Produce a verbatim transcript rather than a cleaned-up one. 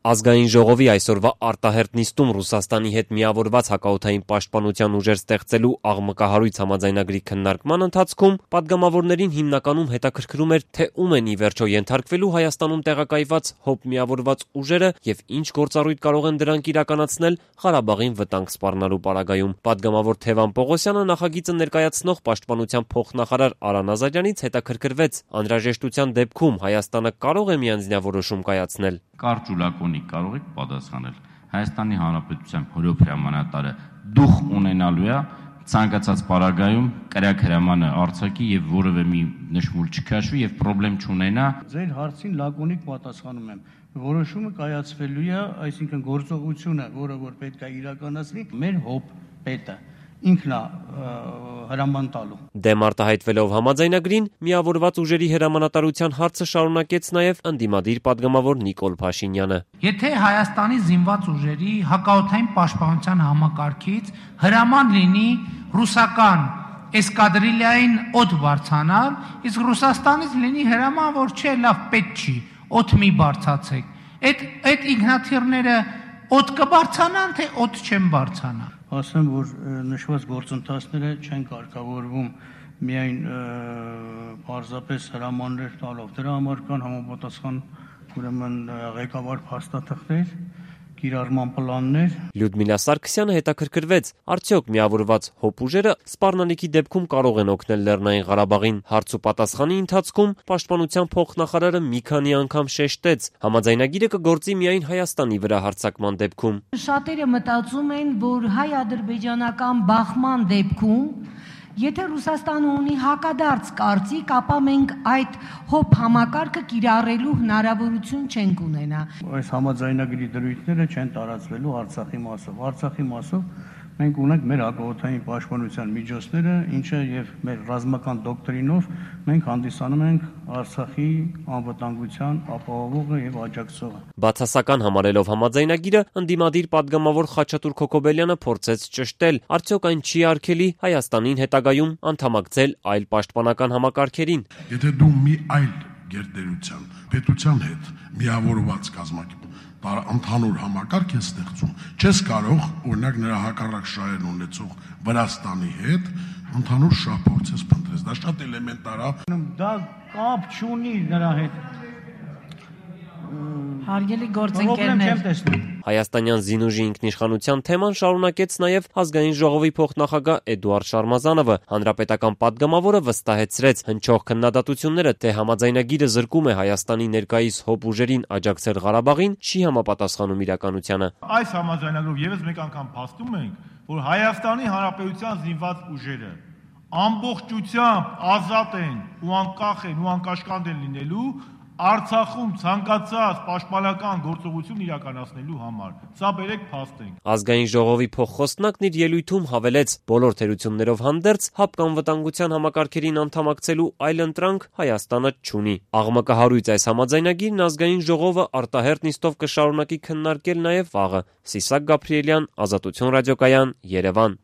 Ազգային ժողովի այսօրվա արտահերթ նիստում Ռուսաստանի հետ միավորված հակաօդային պաշտպանության ուժեր ստեղծելու աղմկահարույց համաձայնագրի քննարկման ընթացքում պատգամավորներին հիմնականում հետաքրքրում էր, թե ում են ի վերջո ենթարկվելու Հայաստանում տեղակայված ՀՕՊ միավորված ուժերը եւ ինչ գործառույթ կարող են դրանք իրականացնել Ղարաբաղին վտանգ սպառնալու պարագայում։ Պատգամավոր Թևան Պողոսյանը նախագիծը ներկայացնող պաշտպանության փոխնախարար Արան Ազարյանից հետաքրքրվեց անհրաժեշտության դեպքում Հայաստանը կարող է միանձնյավորոշում կայացնել։ Կարճ ու լակոնիկ կարող եք պատասխանել։ Հայաստանի Հանրապետության հրոփ հրամանատարը դուխ ունենալու է ցանկացած պարագայում կրակ հրամանը արձակի եւ որևէ մի նշմուլ չքաշվի եւ խնդրեմ չունենա։ Ձեր հարցին լակոնիկ պատասխանում եմ։ Որոշումը կայացվելու է, այսինքն գործողությունը, որը որ պետք է իրականացվի, մեր ՀՕՊ պետը ինքն է հրաման տալու։ Դեմ արտահայտվելով համաձայնագրին, միավորված ուժերի հրամանատարության հարցը շարունակեց նաև ընդդիմադիր պատգամավոր Նիկոլ Փաշինյանը։ Եթե Հայաստանի զինված ուժերի հակաօդային պաշտպանության համակարգից հրաման լինի ռուսական էսկադրիլիային օդ բարձրանալ, իսկ Ռուսաստանից լինի հրաման, որ չէ, լավ, պետք չի, օդ մի բարձացեք։ Այդ այդ ինքնաթիռները օդ կբարձանան, թե օդ չեն բարձանա։ Ասեմ, որ նշված գործընթացները չեն կարգավորվում միայն պարզապես հրամաններ տալով։ Դրա համար կան համապատասխան ուրեմն ղեկավար փաստաթղթեր, կիրառման պլաններ։ Լյուդմիլա Սարգսյանը հետաքրքրվեց, արդյոք միավորված ՀՕՊ ուժերը սպառնալիքի դեպքում կարող են օգնել Լեռնային Ղարաբաղին։ Հարց ու պատասխանի ընթացքում պաշտպանության փոխնախարարը մի քանի անգամ շեշտեց, համաձայնագիրը կգործի միայն Հայաստանի վրա հարձակման դեպքում։ Շատերը մտածում են, որ հայ-ադրբեջանական բախման դեպքում եթե Ռուսաստանը ունի հակադարձ կարծիք, ապա մենք այդ ՀՕՊ համակարգը կիրառելու հնարավորություն չենք ունենա։ Այս համաձայնագրի դրույթները չեն տարածվելու Արցախի մասով։ Արցախի մասով մենք ունենք մեր հակաօդային պաշտպանության միջոցները, ինչը եւ մեր ռազմական դոկտրինով մենք հանդիսանում ենք Արցախի անվտանգության ապահովողը եւ աջակցողը։ Բացասական համարելով համաձայնագիրը, ընդդիմադիր պատգամավոր Խաչատուր Քոքոբելյանը փորձեց ճշտել, արդյոք այն չի արգելի Հայաստանին հետագայում անդամակցել այլ պաշտպանական համակարգերին։ Եթե դու մի այլ գերտերության պետության հետ միավորված կազմակերպ ընդհանուր համակարգ է ստեղծում, չես կարող, օրինակ նրա հակառակ շահերն ունեցող Վրաստանի հետ ընդհանուր շահ փորձես փնտրես, դա շատ էլեմենտար է։ Դա կապ չունի նրա հետ։ Հարգելի գործընկերներ, Հայաստանյան զինուժի ինքնիշխանության թեման շարունակեց նաև Ազգային ժողովի փոխնախագահ Էդուարդ Շարմազանովը։ Հանրապետական պատգամավորը վստահեցրեց հնչող քննադատությունները, թե համաձայնագիրը զրկում է Հայաստանի ներկայիս ՀՕՊ ուժերին աջակցել Ղարաբաղին, չի համապատասխանում իրականությանը։ Այս համաձայնագրով եւս մեկ անգամ փաստում ենք, որ Հայաստանի Հանրապետության զինված ուժերը ամբողջությամբ ազատ են ու անկախ են ու անկաշկանդ են լինելու Արցախում ցանկացած պաշտպանական գործողություն իրականացնելու համար։ Սա բերեք փաստենք։ Ազգային ժողովի փոխխոսնակն իր ելույթում հավելեց, բոլոր թերություններով հանդերձ ՀԱՊԿ անվտանգության համակարգերին անդամակցելու այլ ընտրանք Հայաստանը չունի։ Աղմկահարույց այս համաձայնագիրն Ազգային ժողովը արտահերթ նիստով կշարունակի քննարկել նաև վաղը։ Սիսակ Գաբրիելյան, Ազատություն ռադիոկայան, Երևան։